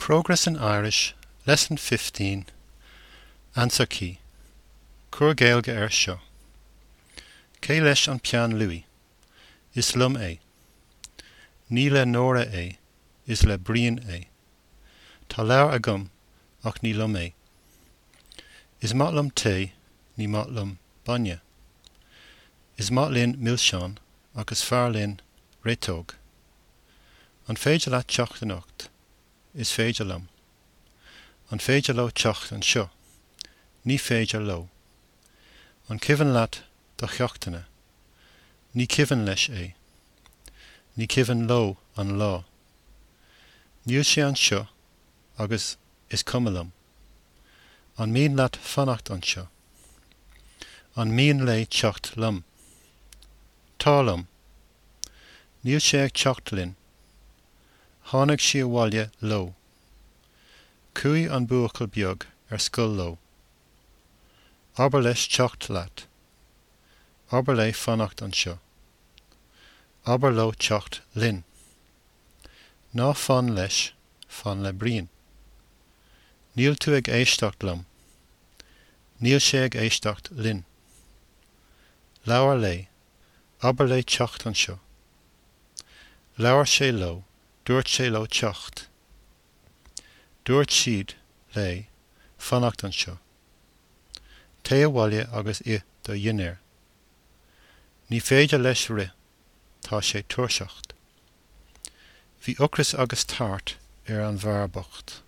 Progress in Irish, Lesson 15, Answer Key Cuir Gaeilge air seo. Cé leis an peann luaidhe? Is liom é. Ní le Nóra é, is le Brian é. Tá leabhar agam ach ní liom é. Is maith liom tae, ní maith liom bainne. Is maith linn milseáin ach is fearr linn réiteog. An féidir leat teacht anocht? Is féidir liom. An féidir leo teacht anseo? Ní féidir leo. An cuimhin leat do cheachtanna? Ní cuimhin leis é. Ní cuimhin leo an lá. Níl sé anseo agus is cuma liom. An mian leat fanacht anseo? An mian léi teacht liom? Tá liom. Níl sé ag teacht linn. Tháinig sí abhaile leo. Chuaigh an buachaill beag ar scoil leo. Abair leis teacht leat. Abair léi fanacht anseo. Abair leo teacht linn. Ná fan leis, fan le Brian. Níl tú ag éisteacht liom. Níl sé ag éisteacht linn. Labhair léi, abair léi teacht anseo. Labhair sé leo, dúirt sé leo teacht. Dúirt siad léi fanacht anseo. Téigh abhaile agus ith do dhinnéar. Ní féidir leis rith, tá sé tuirseach. Bhí ocras agus tart ar an bhfear bocht.